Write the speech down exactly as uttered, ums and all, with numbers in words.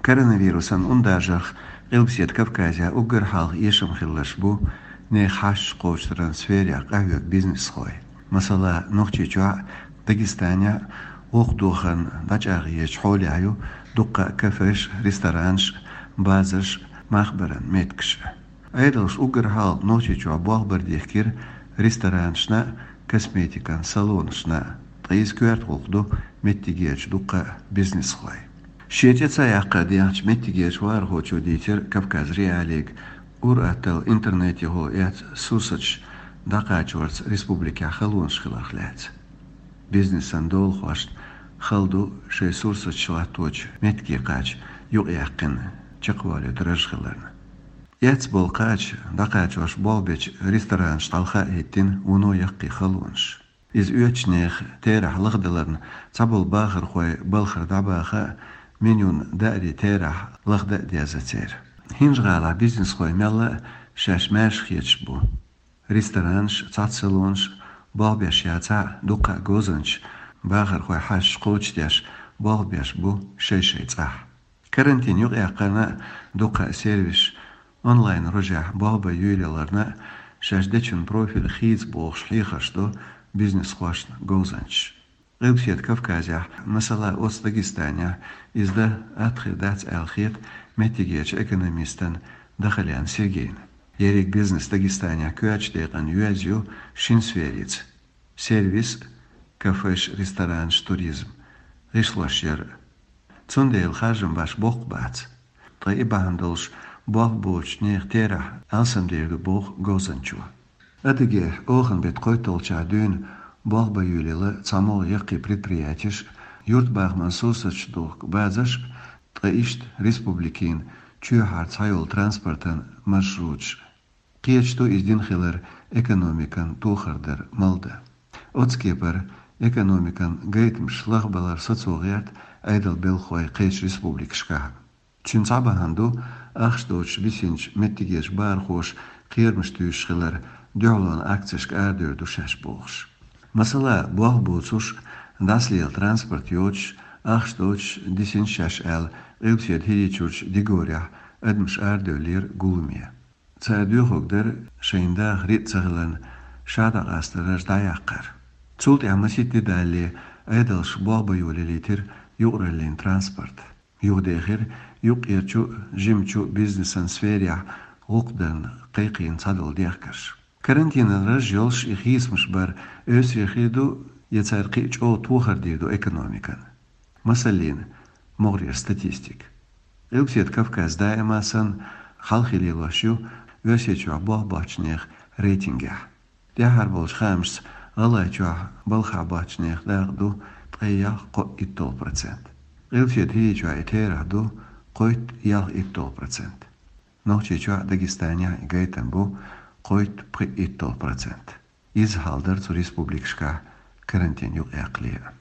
Коронавирусан ундаржарх Къилбседа Кавказе уггар хьалха эшам хилларш бу нехан хьашташ кхочушдаран сферехь къахьоьгу бизнесхой. Масала, Нохчийчохь, Дагестанехь гӀуллакх дохарна дӀачӀагӀъечу хьолехь ю дуккха а кафеш, ресторанаш, базарш, мах баран меттигаш. Ӏедалша уггар хьалха Нохчийчохь болх бар дихкира ресторанашна а, косметикан салонашна а, ткъа иза коьрта гӀуллакх ду меттигерчу дуккха а бизнесхой. Шен цӀе ца яккха дехначу меттигерчу вахархочо дийцира Кавказ.Реалиига, ур-атталла интернетехула эцна сурсаташ дӀакхачорца республикехь халонаш хиларх лаьцна. Бизнесан долахошна хала ду шайн сурсаташ латточу меттиге кхача юкъаяьккхина чекхвалийта раж хиларна. Эцна болу кхача дӀакхачош болх бечу ресторанашна хьалха а хӀиттина вуно яккхий халонаш. Иза оьцучу нехан терахь лахдаларна цхьаболу бахархой балхара дӀабаха а, менюн даарин терахь лахдан а деза церан. ХӀинжа-ГӀалахь бизнесхой мелла а шаьш маьрша хеташ бу. Ресторанаш, цхьацца салонаш болх беш яцахь а, дуккха а говзанчаш, бахархой хьашташ кхочушдеш болх беш бу шай-шайн цӀахь. Карантин юкъаяккхарна а, дуккха а сервисаш онлайн рожехь болх бан йолаяларна а, шаьш дечун профиль хийца бохуш хьехарш до бизнесхошна говзанчаша. Къилбседа Кавказехь, масала, оцу Дагестанехь иза дан атта хир дац аьлла хета меттигерчу экономистана Дахалян Сергейна. Ерриг бизнес Дагестанехь коьртачу декъана йоьзна ю шина сферица: сервис, кафеш, ресторанаш, туризм, гӀишлош яр. Цундела харжам беш боккха бац. Ткъа и бахьана долуш болх боцучу нехан терахь алсамдер ду боху говзанчо. Адыгейхь оханан беттан кхойтталгӀачохь дуьйна болх бан йолаелла цхьа могӀа яккхий предприятеш, юьртабахаман сурсаташ духку базарш, ткъа иштта республикин чоьхьара цхьайолу транспортан маршруташ. Кхеташ ду иза дина хилар экономикан тохар дар малдан. Оцу кепара экономикан гайтамаш лахбалар сацо гӀерта Ӏедалан белхахой кхечу республикашкахь. Цуьнан цхьа бахьана ду, ахча доцуш бисинчу меттигерчу бахархоша кхерамаш туьйсуш хилар, дуьхьалонан акцешка арадевр ду шаьш бохуш. Масала, болх боцуш, дӀасалела транспорт йоцуш, ахча доцуш дисина шаьш аьлла, Къилбседа ХӀирийчуьрчу Дигорехь адамаш арадевллера гуламе. Цара доьхург дара шайна даха риъ ца хиларна, ша дӀакъастарш дӀаяккхар. Цул тӀаьхьа масийтта де далале, Ӏедалша болх бан йолаелийтира юкъараллин транспорт. Юхадехира юккъерчу а, жимачу а бизнесан сферехь гӀуллакх дарна кхайкхийна цхьадолу дехкарш. Карантинан раж йолуш и хийцамаш бар оьсур хир ду я цара кхин а чӀогӀа тохар дийр ду экономикана? Масаллина, могӀарера статистика. Къилбседа Кавказ даима санна хьалхе лелош ю Оьрсийчохь болх боцчу нехан рейтингехь. ТӀаьххьара болчу хаамашца ГӀалгӀайчохь балхахь боцчу нехан дакъа ду ткъе ялх-кхо итталгӀа процент. Къилбседа ХӀирийчохь и терахь ду кхойтта-ялх итталгӀа процент. Нохчийчохь а, Дагестанехь а и гайтам бу кхойтта-пхи итталгӀа процент. Иза хьал дара цу республикашкахь карантин юкъаяккхале а.